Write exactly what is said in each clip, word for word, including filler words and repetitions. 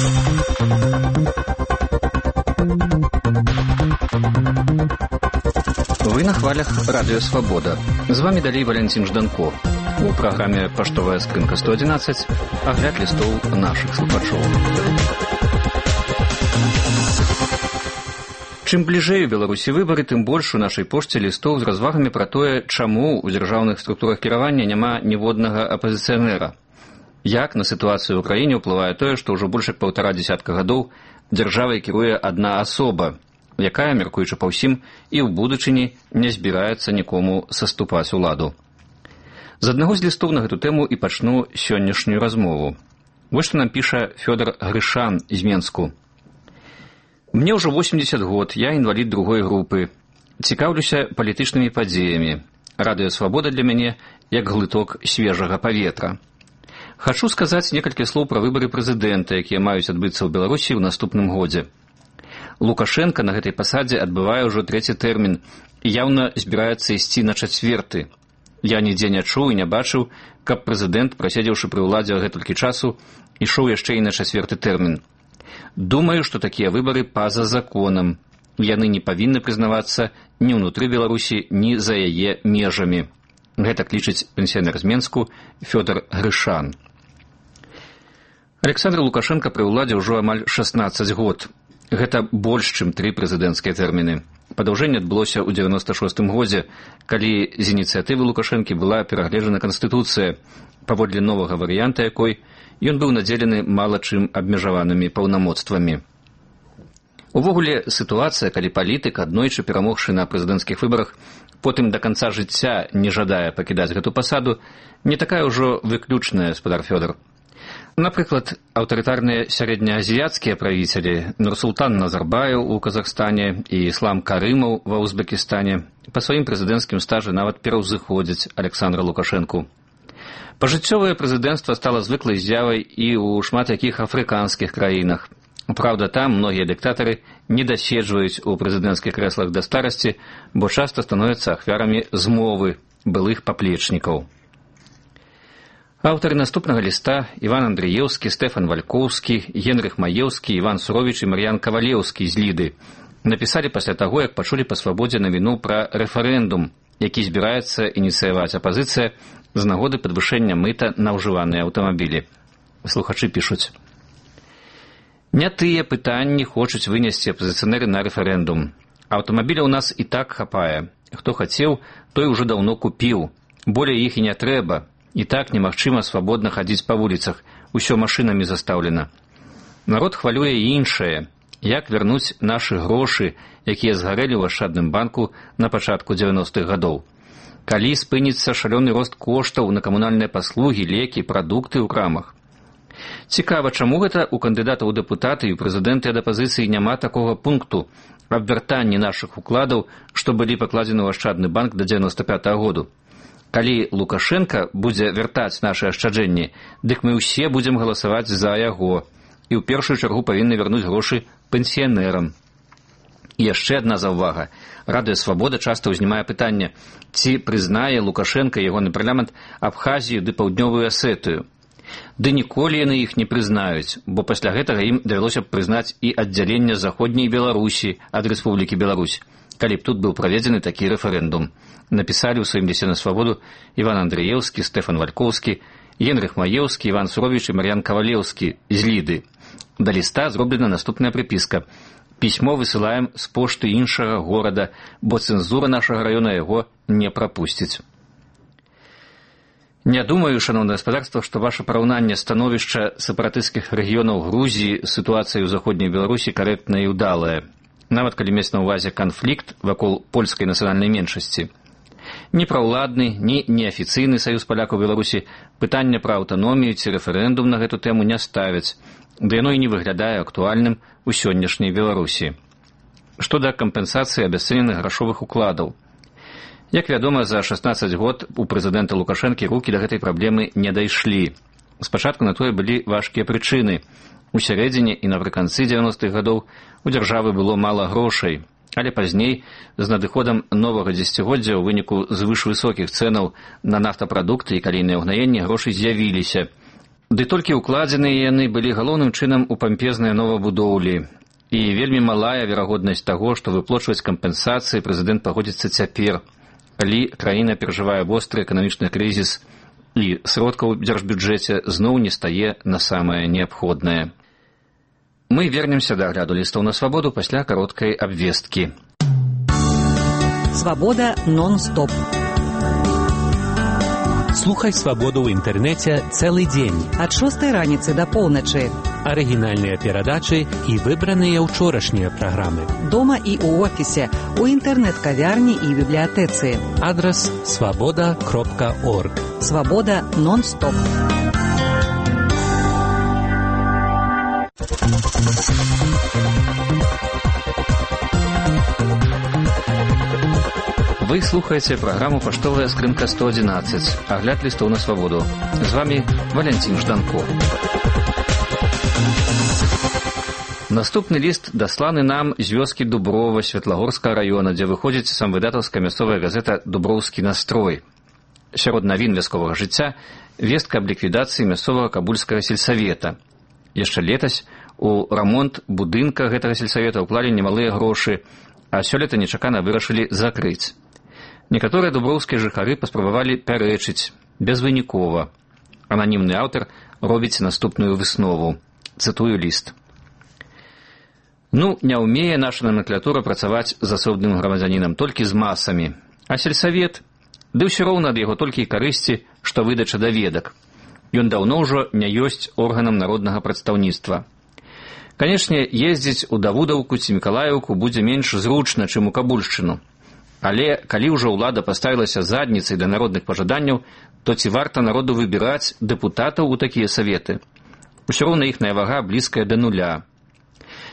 Вы на хвалях Радио Свобода. З вами далей Валентин Жданко. У праграме «Паштовая скрынка сто одиннадцать» агляд лістоў нашых слухачоў. Чым бліжэй у Беларусі выбары, тым больш у нашай пошце лістоў з развагамі пра тое, чаму ў дзяржаўных структурах кіравання няма ніводнага апазіцыянера. Як на сітуацыю ў краіне ўплывае тое, што ўжо больш як паўтара дзясятка гадоў дзяржавай кіруе адна асоба, якая, мяркуючы па ўсім, і ў будучыні не збіраецца нікому саступаць уладу. З аднаго з лістоў на гэту тэму і пачну сённяшнюю размову. Вось што нам піша Фёдор Грышан з Менску. Мне ўжо восемьдесят год, я інвалід другой групы. Цікаўлюся палітычнымі падзеямі. Радыё Свабода для мяне як глыток свежага паветра. Хачу сказаць некалькі слоў пра выбары прэзідэнта, якія маюць адбыцца ў Беларусі ў наступным годзе. Лукашенко на гэтай пасадзе адбывае ўжо трэці тэрмін і яўна збіраецца ісці на чацверты. Я нідзе не чуў і не бачыў, каб прэзідэнт, праседзеўшы пры ўладзе гэтулькі часу, ішоў яшчэ і на чацверты тэрмін. Думаю, што такія выбары па-за законам. Яны не павінны прызнавацца ні ўнутры Беларусі, ні за яе межамі. Гэта лічыць пенсіянер з Менску Фёдор Грышан. Александр Лукашенко пры ўладзе ўжо амаль шаснаццаць год. Гэта больш, чым тры прэзідэнцкія тэрміны. Падаўжэнне адбылося ў дзевяноста шостым годзе, калі з ініцыятывы Лукашэнкі была перагледжана Канстытуцыя, паводле новага варыянта якой ён быў надзелены мала чым абмежаванымі паўнамоцтвамі. Увогуле, сітуацыя, калі палітык, аднойчы перамогшы на прэзідэнцкіх выбарах, потым да канца жыцця не жадае пакідаць гэту пасаду, не такая ўжо выключная, спадар Фёдор. Напрыклад, аўтарытарныя сярэднеазіяцкія правіцелі Нурсултан Назарбаев у Казахстане і Ислам Карымаў ва Узбекістане па сваім прэзідэнцкім стажы нават пераўзыходзяць Александра Лукашэнку. Пажыццёвае прэзідэнцтва стала звыклай з'явай і ў шмат якіх афрыканскіх краінах. Праўда, там многія дыктатары не даседжваюць у прэзідэнцкіх крэслах да старасці, бо часта становяцца ахвярамі змовы былых паплечнікаў. Аўтары наступнага ліста Іван Андрыеўскі, Стэфан Валькоўскі, Генрых Маеўскі, Іван Суровіч і Мар'ян Кавалеўскі з Ліды напісалі пасля таго, як пачулі па свабодзе навіну пра рэферэндум, які збіраецца ініцыяваць апазіцыя з нагоды падвышэння мыта на ўжываныя аўтамабілі. Слухачы пішуць. Не тыя пытанні хочуць вынесці апазіцыянеры на рэферэндум. Аўтамабіля ў нас і так хапае. Хто хацеў, той ужо даўно купіў. Болей іх і не трэба. І так немагчыма свабодна хадзіць па вуліцах, усё машынамі застаўлена. Народ хвалюе і іншае, як вярнуць нашы грошы, якія згарэлі ў ашчадным банку на пачатку дзевяностых гадоў. Калі спыніцца шалёны рост коштаў на камунальныя паслугі, лекі, прадукты ў крамах. Цікава, чаму гэта ў кандыдатаў у дэпутаты і прэзідэнты ад апазіцыі няма такога пункту аб вяртанні нашых укладаў, што былі пакладзены ў ашчадны банк да дзевяноста пятага году. Калі Лукашенко будзе вяртаць нашы ашчаджэнні, дык мы ўсе будзем галасаваць за яго і ў першую чаргу павінны вярнуць грошы пенсіянерам. І яшчэ адна заўвага. Радыё Свабода часта ўзнімае пытанне, ці прызнае Лукашенко і ягоны парламент Абхазію ды Паўднёвую Асетыю. Ды ніколі яны іх не прызнаюць, бо пасля гэтага ім давялося б прызнаць і аддзяленне заходняй Беларусі ад Рэспублікі Беларусь, калі б тут быў праведзены такі рэферэндум. Напісалі ў сваім лісце на свабоду Іван Андрыеўскі, Стэфан Валькоўскі, Генрых Маеўскі, Іван Суровіч і Мар'ян Кавалеўскі з Ліды. Да ліста зроблена наступная прыпіска. Пісьмо высылаем з пошты іншага горада, бо цэнзура нашага раёна яго не прапусціць. Не думаю, шановное гаспадарства, што ваше параўнанне становішча сепаратысцкіх рэгіёнаў Грузіі з сітуацыяй у заходняй Беларусі карэктнае і ўдалае, нават калі мець на ўвазе канфлікт вакол польскай нацыянальнай меншасці. Ні праўладны, ні неафіцыйны саюз палякаў Беларусі пытання пра аўтаномію ці рэферэндум на гэту тэму не ставяць, да яно і не выглядае актуальным у сённяшняй Беларусі. Што да кампенсацыі абясцэненых грашовых укладаў. Як вядома, за шаснаццаць год у прэзідэнта Лукашэнкі рукі да гэтай праблемы не дайшлі. Спачатку на тое былі важкія прычыны. У сярэдзіне і напрыканцы дзевяностых гадоў у дзяржавы было мала грошай, але пазней, з надыходам новага дзесяцігоддзя ў выніку звышвысокіх цэнаў на нафтапрадукты і калійныя ўгнаенні грошы з'явіліся. Ды толькі ўкладзеныя яны былі галоўным чынам у пампезныя новабудоўлі. І вельмі малая верагоднасць таго, што выплачваць кампенсацыі прэзідэнт пагодзіцца цяпер, калі краіна перажывае востры эканамічны крызіс і сродкаў у дзяржбюджэце зноў не стае на самае неабходнае. Мы вернемся да агляду лістаў на свабоду пасля кароткай абвесткі. Свабода нон-стоп. Слухай свабоду ў інтэрнэце цэлы дзень. Ад шостай раніцы да поўначы. Арыгінальныя перадачы і выбраныя ўчорашнія праграмы. Дома і ў офісе, у інтэрнэт-кавярні і бібліятэцы. Адрас свабода кропка орг. Свабода нон-стоп. Вы слухаеце праграму «Паштовая скрынка сто адзінаццаць». Агляд лістоў на свабоду. З вамі Валянцін Жданко. Наступны ліст дасланы нам з вёскі Дуброва Светлагорскага раёна, дзе выходзіць самвыдатаўская мясцовая газета «Дуброўскі настрой». Сярод навін вясковага жыцця вестка аб ліквідацыі мясцовага кабульскага сельсавета. Яшчэ летась у рамонт будынка гэтага сельсавета ўклалі немалыя грошы, а сёлета нечакана вырашылі закрыць. Некаторыя дуброўскія жыхары паспрабавалі пярэчыць, безвынікова. Ананімны аўтар робіць наступную выснову. Цытую ліст. Ну, не ўмее наша номенклатура працаваць з асобным грамадзянінам, толькі з масамі. А сельсавет? Ды ўсё роўна ад яго толькі і карысці, што выдача даведак. Ён даўно ўжо не ёсць органам народнага прадстаўніцтва. Канешне, ездзіць у Давудаўку ці Мікалаеўку будзе менш зручна, чым у Кабульшчыну. Але калі ўжо ўлада паставілася задніцай да народных пажаданняў, то ці варта народу выбіраць дэпутатаў у такія саветы? Усё роўна іхная вага блізкая да нуля.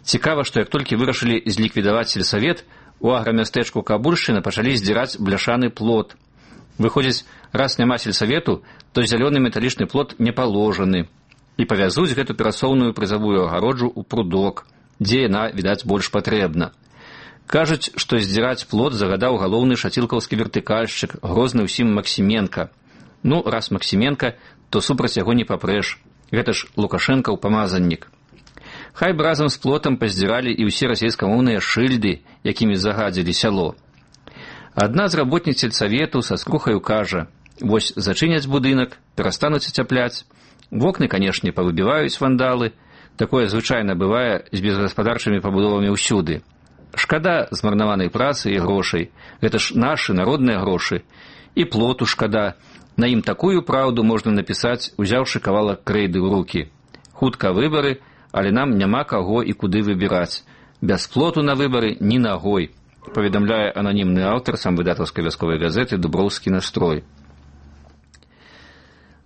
Цікава, што як толькі вырашылі зліквідаваць сельсавет, у аграмястэчку Кабульшчыны пачалі здзіраць бляшаны плот. Выходзіць, раз няма сельсавету, то зялёны металічны плот не паложаны. І павязуць гэту перасоўную прызавую агароджу ў прудок, дзе яна, відаць, больш патрэбна. Кажуць, што здзіраць плот загадаў галоўны шацілкаўскі вертыкальшчык, грозны ўсім Максіменка. Ну, раз Максіменка, то супраць яго не папрэш. Гэта ж Лукашэнкаў памазаннік. Хай б разам з плотам паздзіралі і ўсе расейскамоўныя шыльды, якімі загадзілі сяло. Адна з работніц сельсавету са скрухаю кажа: вось зачыняць будынак, перастануць ацяпляць. Вокны, канешне, павыбіваюць вандалы. Такое звычайна бывае з безгаспадарчымі пабудовамі ўсюды. Шкада змарнаванай працы і грошай. Гэта ж нашы народныя грошы. І плоту шкада. На ім такую праўду можна напісаць, узяўшы кавалак крэйды ў рукі. Хутка выбары, але нам няма каго і куды выбіраць. Без плоту на выбары ні нагой, паведамляе ананімны аўтар самвыдатаўскай вясковай газеты «Дуброўскі настрой».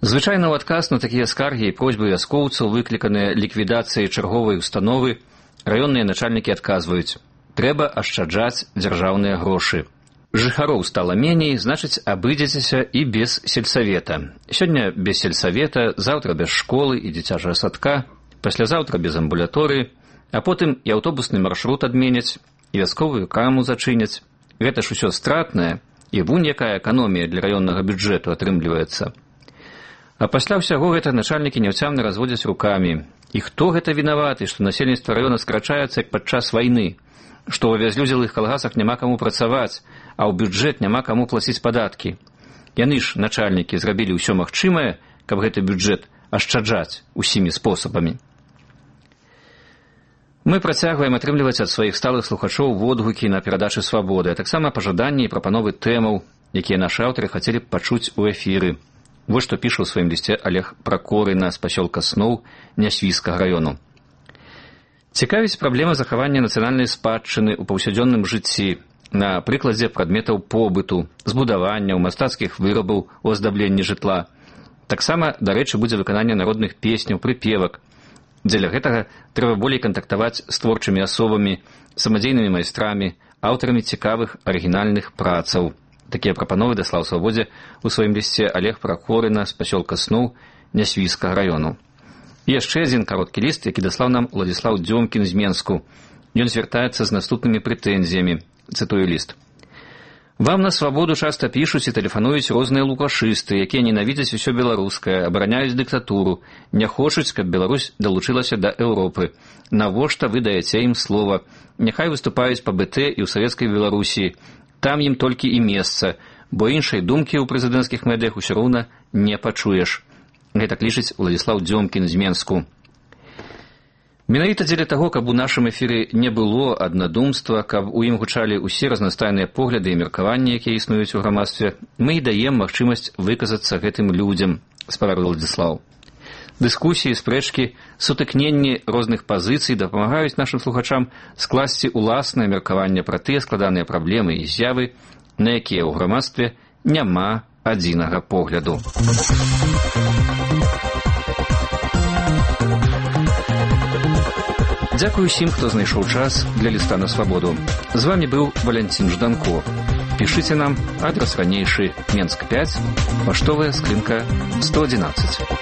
Звычайна ў адказ на такія скаргі і просьбы вяскоўцаў, выкліканыя ліквідацыяй чарговай установы, раённыя начальнікі адказваюць: трэба ашчаджаць дзяржаўныя грошы. Жыхароў стала меней, значыць, абыдзецеся і без сельсавета. Сёння без сельсавета, заўтра без школы і дзіцячага садка, паслязаўтра без амбулаторыі, а потым і аўтобусны маршрут адменяць, і вясковую краму зачыняць. Гэта ж усё стратнае, і вунь якая эканомія для раённага бюджэту атрымліваецца. А пасля ўсяго гэта начальнікі няўцямна разводзяць рукамі. І хто гэта вінаваты, што насельніцтва раёна скрачаецца як падчас вайны, што ў авязлюдзелых калгасах няма каму працаваць, а ў бюджэт няма каму плаціць падаткі. Яны ж, начальнікі, зрабілі ўсё магчымае, каб гэты бюджэт ашчаджаць усімі спосабамі. Мы працягваем атрымліваць ад сваіх сталых слухачоў водгукі на перадачы свабоды, а таксама пажаданні і прапановы тэмаў, якія нашы аўтары хацелі б пачуць у эфіры. Вось што піша ў сваім лісце Олег Пракорына з пасёлка Сноў Нясвійскага раёну. Цікавіць праблема захавання нацыянальнай спадчыны ў паўсядзённым жыцці на прыкладзе прадметаў побыту, збудаванняў, мастацкіх вырабаў у аздабленні жытла. Таксама, дарэчы, будзе выкананне народных песняў, прыпевак. Дзеля гэтага трэба болей кантактаваць з творчымі асобамі, самадзейнымі майстрамі, аўтарамі цікавых арыгінальных працаў. Такія прапановы даслаў свабодзе ў сваім лісце Олег Пракорына з пасёлка Сноў Нясвійскага раёну. І яшчэ адзін кароткі ліст, які даслаў нам Уладзіслаў Дзёмкін з Менску. Ён звяртаецца з наступнымі прэтэнзіямі. Цытую ліст. Вам на свабоду часта пішуць і тэлефануюць розныя лукашысты, якія ненавідзяць усё беларускае, абараняюць дыктатуру, не хочуць, каб Беларусь далучылася да Еўропы. Навошта вы даеце ім слова? Няхай выступаюць па бэ тэ і ў савецкай Беларусі. Там ім толькі і месца, бо іншай думкі ў прэзідэнцкіх медыях усё роўна не пачуеш. Гэтак лічыць Уладзіслаў Дзёмкін з Менску. Менавіта дзеля таго, каб у нашым эфіры не было аднадумства, каб у ім гучалі ўсе разнастайныя погляды і меркаванні, якія існуюць у грамадстве, мы і даем магчымасць выказацца гэтым людзям, спавярыў Уладзіслаў. Дыскусіі, спрэчкі, сутыкненні розных пазіцый дапамагаюць нашым слухачам скласці уласнае меркаванне пра тыя складаныя праблемы і з'явы, на якія ў грамадстве няма адзінага погляду. Дзякую усім, хто знайшоў час для ліста на свабоду. З вамі быў Валянцін Жданко. Пішыце нам, адрас ранейшы, Менск пяць, паштовая скрынка сто адзінаццаць.